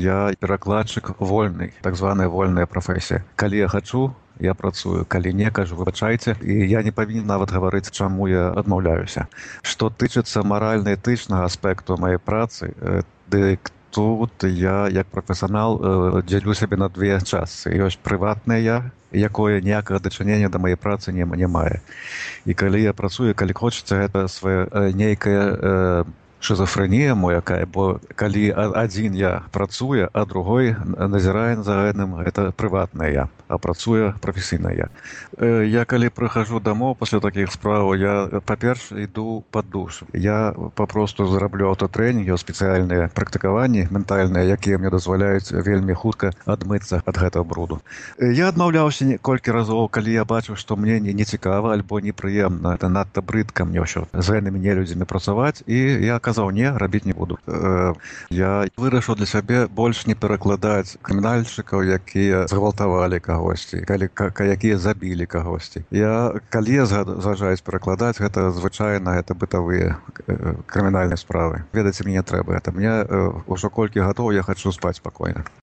я перакладчык вольны, так званая вольная прафесія. Калі я хачу, я працую, калі не, кажу, выбачайце, і я не павінен нават гаварыць, чаму я адмаўляюся. Што тычыцца маральна-этычнага аспекту маёй працы, дык тут я, як прафесіянал, дзялю сябе на две частцы. Ёсць прыватнае я, якое ніякага дачынення да маёй працы не мае. І калі я працую, калі хочацца, гэта свая нейкая шизофрэнія моякая, бо калі адзін я працуе, а другой назірае за гэтым, гэта прыватнае я, а працуе прафесійнае я. Я калі прыхожу дамоў пасля такіх справаў, я, па-першае, іду пад душ. Я папросту зараблю аўтатрэнінгі, спецыяльныя практыкаванні ментальныя, якія мне дазваляюць вельмі хутка адмыцца ад гэтага бруду. Я адмаўляўся колькі разоў, калі я бачыў, што мне не цікава альбо непрыемна, это надта брыдка мне ўсё з гэтымі нелюдзямі працаваць, і я казаў, не, рабіць не буду. Я вырашыў для сябе больш не перакладаць крымінальшчыкаў, якія згвалтавалі кагосьці, якія забілі кагосьці. Калі я зважаюсь перакладаць, гэта звычайна, гэта бытавыя крымінальныя справы. Ведаце, мне не трэба гэта. Мне ўжо колькі гадоў я хачу спаць спакойна.